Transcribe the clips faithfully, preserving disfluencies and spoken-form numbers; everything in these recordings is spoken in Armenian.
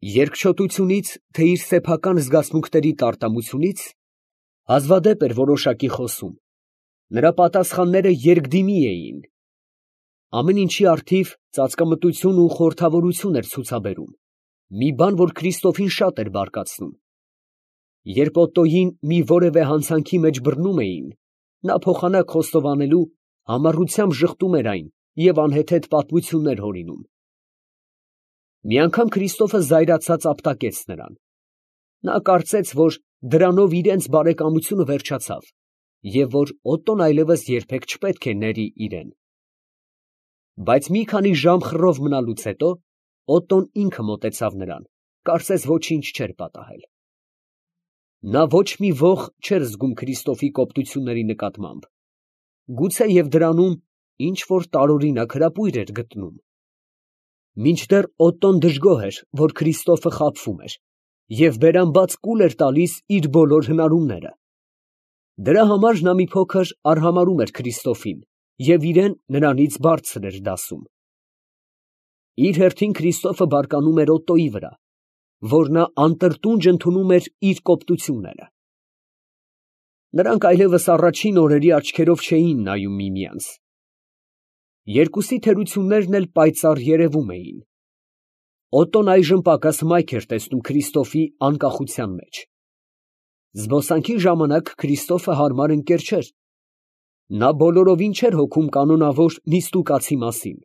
Երկչոտությունից, թե իր սեփական զգացմունքների տարտամությունից, հազվադեպ էր որոշակի խոսում, նրա պատասխանները երկդիմի էին, ամեն ինչի առթիվ ծածկամտություն ու խորհրդավորություն էր ցուցաբերում, մի բան, որ Քրիստոֆին շատ էր բարկացնում. երբ Օտտոյին մի որևէ հանցանքի մեջ բռնում էին, նա փոխանակ խոստովանելու համառությամբ ժխտում էր այն և անհեթեթ պատմություններ հորինում։ Մի անգամ Քրիստոֆը զայրացած ապտակեց նրան. նա կարծեց, որ դրանով իրենց բարեկամությունը վերջացավ, և որ Օտտոն այլևս երբեք չպետք է ների իրեն։ Բայց մի քանի ժամ խռով մնալուց հետո Օտտոն ինքը մոտեցավ նրան, կարծես ոչինչ չէր պատահել։ Նա ոչ մի ոխ չէր զգում Քրիստոֆի կոպտությունների նկատմամբ, գուցե և դրանում ինչ որ տարօրինակ հրապույր էր գտնում։ Մինչդեռ Օտտոն դժգոհ էր, որ Քրիստոֆը խաբվում էր և բերանբաց կուլ էր տալիս իր բոլոր հնարումները։ Դրա համար նա մի փոքր արհամարհում էր Քրիստոֆին և իրեն նրանից բարձր էր դասում։ Իր հերթին Քրիստոֆը բարկանում էր Օտտոյի վրա, որ նա անտրտունջ ընդունում էր իր կոպտությունները։ Նրանք այլևս առաջին օրերի աչքերով չէին նայում միմյանց։ Երկուսի թերություններն էլ պայծառ երևում էին։ Օտտոն այժմ պակաս մայք էր տեսնում Քրիստոֆի անկախության մեջ։ Զբոսանքի ժամանակ Քրիստոֆը հարմար ընկեր չէր։ Նա բոլորովին չէր հոգում կանոնավոր նիստ ու կացի մասին։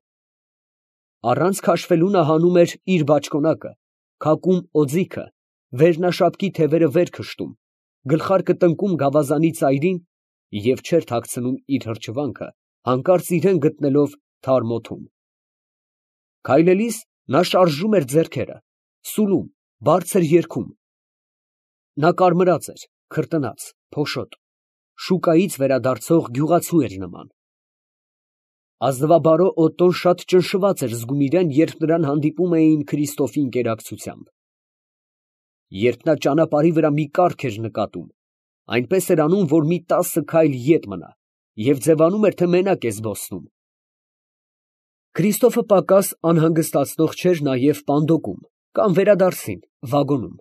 Առանց քաշվելու նա հանում էր իր բաճկոնակը, քակում օձիքը, վերնաշապկի թևերը վեր քշտում, գլխարկը տնկում գավազանի ծայրին և չէր թաքցնում իր հրճվանքը, հանկարծ իրան գտնելով թարմ օդում։ Քայլելիս նա շարժում էր ձեռքերը, սուլում, բարձր երգում։ Նա կարմրած էր, քրտնած, փոշոտ, շուկայից վերադարձող գյուղացու էր նման։ Ազնվաբարո Օտտոն շատ ճնշված էր զգում իրան, երբ նրան հանդիպում էին Քրիստոֆի ընկերակցությամբ։ Երբ նա ճանապարհի վրա մի կառք էր նկատում, այնպես էր անում, որ մի տասը քայլ ետ մնա և ձևանում էր, թե մենակ է զբոսնում։ Քրիստոֆը պակաս անհանգստացնող չէր նաև պանդոկում կամ վերադարձին, վագոնում։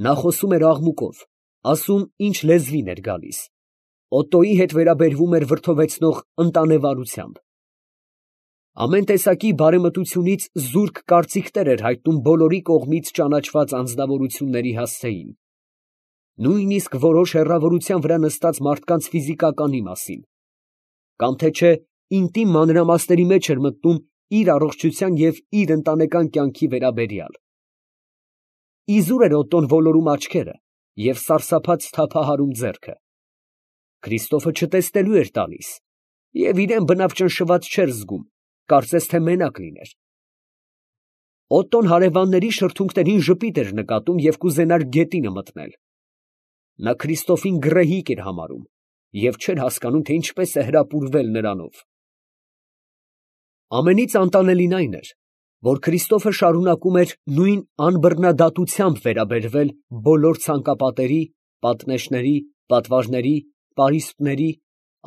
Նա խոսում էր աղմուկով, ասում, ինչ լեզվին էր գալիս, Օտտոյի հետ վերաբերվում էր վրդովեցնող ընտանեվարությամբ։ Ամեն տեսակի բարեմտությունից զուրկ կարծիքներ էր հայտնում բոլորի կողմից ճանաչված անձնավորությունների հասցեին, նույնիսկ որոշ հեռավորության վրա նստած մարդկանց ֆիզիկականի մասին, կամ թե չէ ինտիմ մանրամասների մեջ էր մտնում իր առողջության և իր ընտանեկան կյանքի վերաբերյալ։ Իզուր էր Օտտոն ոլորում աչքերը և սարսափած թափահարում ձեռքը։ Քրիստոֆը չտեսնելու էր տալիս և իրան բնավ ճնշված չէր զգում, կարծես թե մենակ լիներ։ Օտտոն հարևանների շրթունքներին ժպիտ էր նկատում և կուզենար գետինը մտնել։ Նա Քրիստոֆին գռեհիկ էր համարում և չէր հասկանում, թե ինչպես է հրապուրվել նրանով։ Ամենից անտանելին այն էր, որ Քրիստոֆը շարունակում էր նույն անբռնադատությամբ վերաբերվել բոլոր ցանկապատերի, պատնեշների, պատվարների, պարիսպների,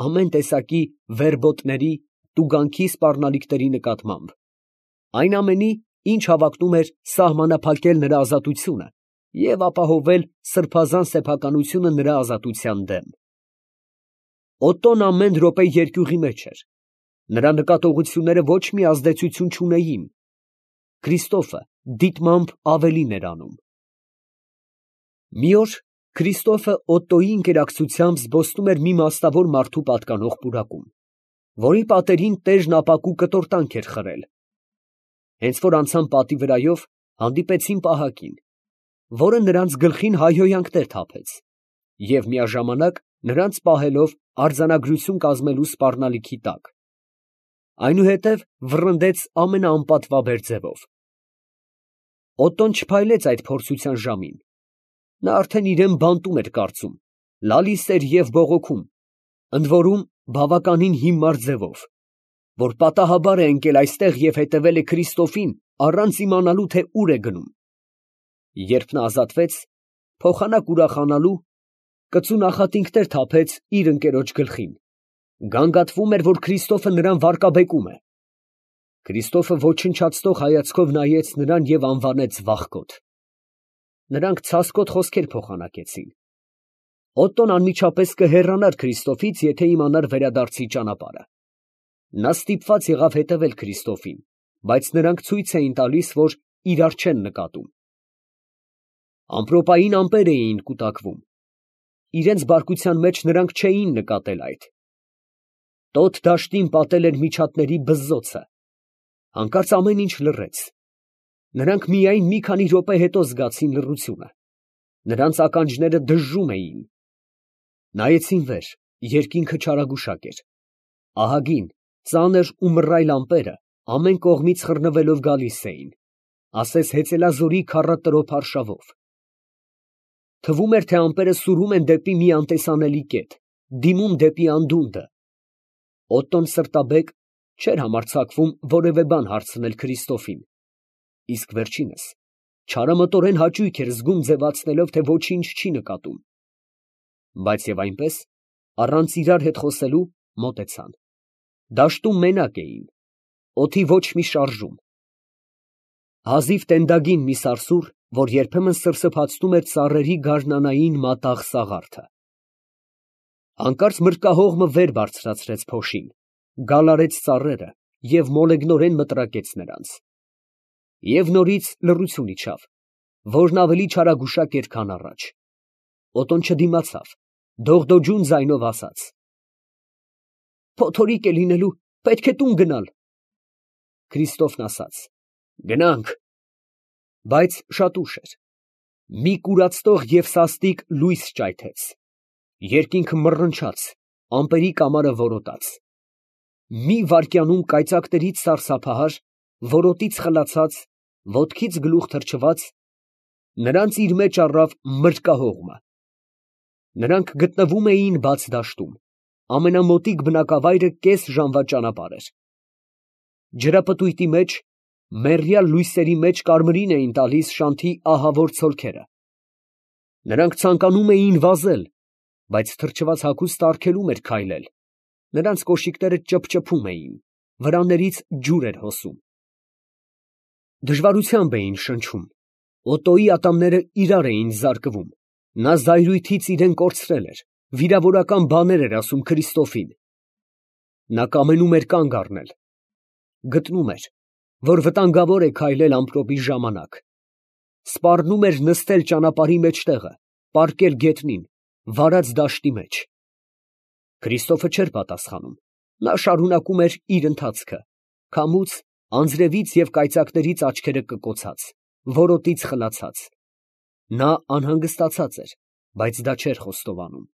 ամեն տեսակի վերբոտների, տուգանքի սպառնալիքների նկատմամբ, այն ամենի, ինչ հավակնում էր սահմանափակել նրա ազատությունը և ապահովել սրբազան սեփականությունը նրա ազատության դեմ։ Օտտոն ամեն րոպե երկյուղի մեջ էր, նրա նկատողությունները ոչ մի ազդեցություն չունեին, Քրիստոֆը դիտմամբ ավելին էր անում։ Մի օր Քրիստոֆը Օտտոյի ընկերակցությամբ զբոսնում էր մի մասնավոր մարդու պատկանող պուրակում, որի պատերին տերն ապակու կտորտանք էր խրել։ Հենց որ անցան պատի վրայով, հանդիպեցին պահակին, որը նրանց գլխին հայհոյանքներ թափեց և միաժամանակ նրանց պահելով արձանագրություն կազմելու սպառնալիքի տակ, այնուհետև վռնդեց ամենաանպատվաբեր ձևով։ Օտտոն չփայլեց այդ փորձության ժամին, նա արդեն իրան բանտում էր կարծում, լալիս էր և բողոքում, ընդորում բավականին հիմար ձևով, որ պատահաբար է ընկել այստեղ և հետևել է Քրիստոֆին առանց իմանալու, թե ուր է գնում։ Երբ նա ազատվեց, փոխանակ ուրախանալու, կծու նախատինքներ թափեց իր ընկերոջ գլխին, գանգատվում էր, որ Քրիստոֆը նրան վարկաբեկում է։ Քրիստոֆը ոչնչացնող հայացքով նայեց նրան և անվանեց վախկոտ։ Նրանք ցասկոտ խոսքեր փոխանակեցին։ Օտտոն անմիջապես կհեռանար Քրիստոֆից, եթե իմանար վերադարձի ճանապարհը։ Նա ստիպված եղավ հետևել Քրիստոֆին, բայց նրանք ցույց էին տալիս, որ իրար չեն նկատում։ Ամպրոպային ամպեր էին կուտակվում։ Իրենց բարկության մեջ նրանք չէին նկատել այդ։ Տոտ դաշտին պատել էր միջատների բզզոցը։ Հանկարծ ամեն ինչ լռեց։ Նրանք միայն մի քանի րոպե հետո զգացին լռությունը։ Նրանց ականջները դժժում էին։ Նայեցին վեր, երկինքը չարագուշակ էր։ Ահագին, ծանր ու մռայլ ամպերը ամեն կողմից խռնվելով գալիս էին, ասես հեծելազորի քառատրոփ արշավով։ Թվում էր, թե ամպերը սուրում են դեպի մի անտեսանելի կետ, դիմում դեպի անդունդը։ Օտտոն սրտաբեկ չէր համարձակվում որևէ բան հարցնել Քրիստոֆին, իսկ վերջինս չարամտորեն հաճույք էր զգում ձևացնելով, թե ոչինչ չի նկատում։ Բայց և այնպես, առանց իրար հետ խոսելու, մոտեցան։ Դաշտում մենակ էին, օդի ոչ մի շարժում։ Հազիվ տենդագին մի սարսուռ, որ երբեմն սրսփացնում էր ծառերի գարնանային մատաղ սաղարթը։ Հանկարծ մրրկահողմը վեր բարձրացրեց փոշին, գալարեց ծառերը և մոլեգնորեն մտրակեց նրանց։ Եվ նորից լռություն իջավ, որն ավելի չարագուշակ էր, քան առաջ։ Օտոն չդիմացավ, դողդոջուն ձայնով ասաց. «Փոթորիկ է լինելու, պետք է տուն գնալ»։ Քրիստոֆն ասաց. «Գնանք»։ Բայց շատ ուշ էր։ Մի կուրացնող և սաստիկ լույս ճայթեց։ Երկինքը մռնչաց, ամպերի կամարը որոտաց։ Մի վայրկյանում կայծակներից սարսափահար, որոտից խլացած, ոտքից գլուխ թռչված, նրանց իր մեջ առավ մրրկահողմը։ Նրանք գտնվում էին բաց դաշտում, ամենամոտիկ բնակավայրը կես ժամվա ճանապարհ էր։ Ջրապտույտի մեջ, մեռյալ լույսերի մեջ կարմիրին էին տալիս շանթի ահավոր ցոլքերը։ Նրանք ցանկանում էին վազել, բայց թրջված հագուստը արգելում էր քայլել։ Նրանց կոշիկները ճփճփում էին, վրաներից ջուր էր հոսում։ Դժվարությամբ էին շնչում։ Օտոյի ատամները իրար էին զարկվում։ Նա զայրույթից իրեն կորցրել էր, վիրավորական բաներ էր ասում Քրիստոֆին։ Նա կամենում էր կանգ առնել։ Գտնում էր, որ վտանգավոր է քայլել ամպրոպի ժամանակ։ Սպառնում էր նստել ճանապարհի մեջտեղը, պառկել գետնին, վարած դաշտի մեջ։ Քրիստոֆը չէր պատասխանում։ Նա շարունակում էր իր ընթացքը, քամուց, անձրևից և կայծակներից աչքերը կկոցած, որոտից խլացած։ Նա անհանգստացած էր, բայց դա չէր խոստովանում։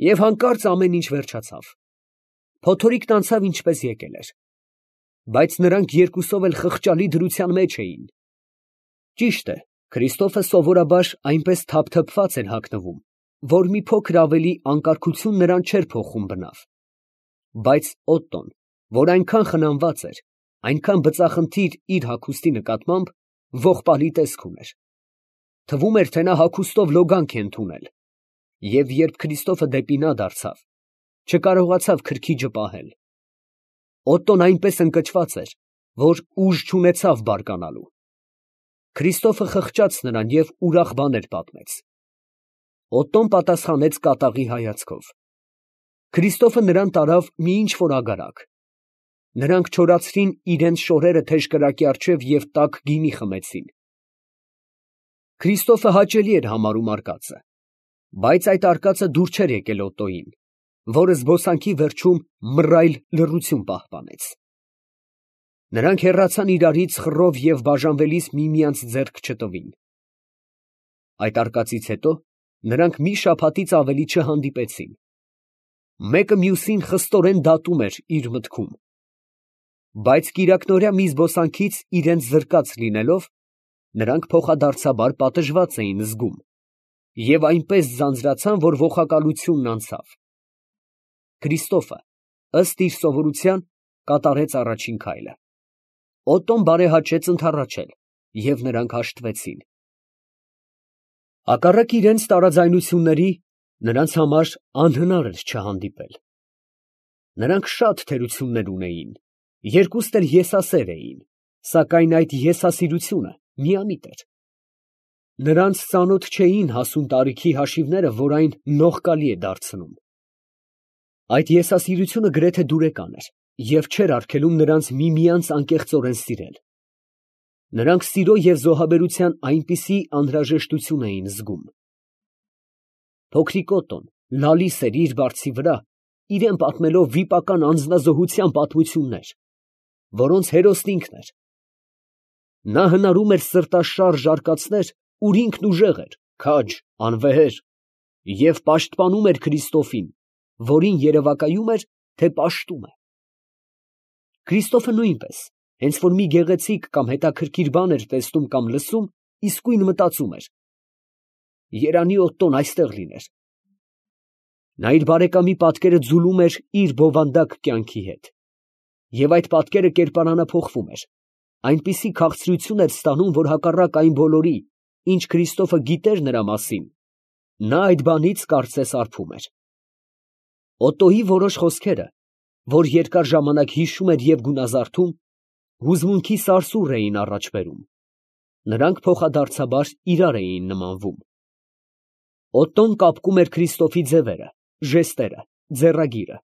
Եվ հանկարծ ամեն ինչ վերջացավ։ Փոթորիկն անցավ ինչպես եկել էր։ Բայց նրանք երկուսով էլ խղճալի դրության մեջ էին։ Ճիշտ է, Քրիստոֆը սովորաբար այնպես թափթփված էր հագնվում, որ մի փոքր ավելի անկարգություն նրան չէր փոխում բնավ։ Բայց Օտտոն, որ այնքան խնամված էր, այնքան բծախնդիր իր հագուստի նկատմամբ, ողբալի տեսք ուներ։ Թվում էր, թե նա հագուստով լոգանք է ընդունել։ Եվ երբ Քրիստոֆը դեպի նա դարձավ, չկարողացավ քրքիջը պահել։ Օտտոն այնպես ընկճված էր, որ ուժ չունեցավ բարկանալու։ Քրիստոֆը խղճաց նրան և ուրախ բաներ պատմեց։ Օտտոն պատասխանեց կատաղի հայացքով։ Քրիստոֆը նրան տարավ մի ինչ֊որ ագարակ։ Նրանք չորացրին իրենց շորերը թեժ կրակի առջև և տաք գինի խմեցին։ Քրիստոֆը հաճելի էր համարում արկածը, բայց այդ արկածը դուր չէր եկել Օտտոյին, որը զբոսանքի վերջում մռայլ լռություն պահպանեց։ Նրանք հեռացան իրարից խռով և բաժանվելիս միմյանց ձեռք չտվին։ Այդ արկածից հետո նրանք մի շաբաթից ավելի չհանդիպեցին։ Մեկը մյուսին խստորեն դատում էր իր մտքում։ Բայց կիրակնօրյա մի զբոսանքից իրենց զրկած լինելով, նրանք փոխադարձաբար պատժված էին զգում և այնպես ձանձրացան, որ ոխակալությունն անցավ։ Քրիստոֆը, ըստ իր սովորության, կատարեց առաջին քայլը։ Օտտոն բարեհաճեց ընդառաջել, և նրանք հաշտվեցին։ Հակառակ իրենց տարաձայնությունների, նրանց համար անհնար էր չհանդիպել։ Նրանք շատ թերություններ ունեին Երկուստ էլ եսասեր էին, սակայն այդ եսասիրությունը միամիտ էր։ Նրանց ծանոթ չէին հասուն տարիքի հաշիվները, որ այն նողկալի է դարձնում։ Այդ եսասիրությունը գրեթե դուրեկան էր և չէր արգելում նրանց միմյանց անկեղծորեն սիրել։ Նրանք սիրո և զոհաբերության այնպիսի անհրաժեշտություն էին զգում։ Փոքրիկ Օտոն լալիս էր իր բարձի վրա, իրան պատմելով վիպական անձնազոհության պատմություններ, որոնց հերոսն ինքն էր։ Նա հնարում էր սրտաշարժ արկածներ, ուր ինքն ուժեղ էր, քաջ, անվեհեր և պաշտպանում էր Քրիստոֆին, որին երևակայում էր, թե պաշտում է։ Քրիստոֆը նույնպես, հենց որ մի գեղեցիկ կամ հետաքրքիր բան էր տեսնում կամ լսում, իսկույն մտածում էր. երանի Օտտոն այստեղ լիներ։ Նա իր բարեկամի պատկերը ձուլում էր իր բովանդակ կյանքի հետ, և այդ պատկերը կերպարանափոխվում էր, այնպիսի քաղցրություն էր ստանում, որ հակառակ այն բոլորի, ինչ Քրիստոֆը գիտեր նրա մասին, նա այդ բանից կարծես արբում էր։ Օտոյի որոշ խոսքերը, որ երկար ժամանակ հիշում էր և գունազարդում, հուզմունքի սարսուռ էին առաջ բերում, նրանք փոխադարձաբար իրար էին նմանվում։ Օտտոն կապկում էր Քրիստոֆի ձևերը, ժեստերը, ձեռագիրը։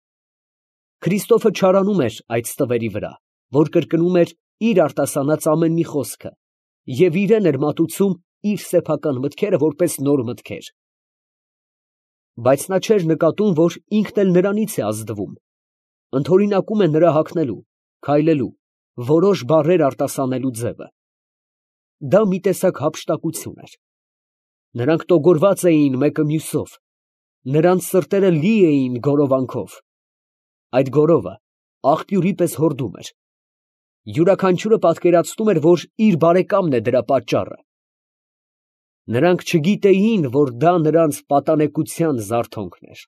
Քրիստոֆը չարանում էր այդ ստվերի վրա, որ կրկնում էր իր արտասանած ամեն մի խոսքը և իրան էր մատուցում իր սեփական մտքերը որպես նոր մտքեր։ Բայց նա չէր նկատում, որ ինքն էլ նրանից է ազդվում, ընդօրինակում է նրա հագնելու, քայլելու, որոշ բառեր արտասանելու ձևը։ Դա մի տեսակ հափշտակություն էր։ Նրանք տոգորված էին մեկը մյուսով, նրանց սրտերը լի էին գորովանքով։ Այդ գորովը աղբյուրի պես հորդում էր։ Յուրաքանչյուրը պատկերացնում էր, որ իր բարեկամն է դրա պատճառը։ Նրանք չգիտեին, որ դա նրանց պատանեկության զարթոնքն էր։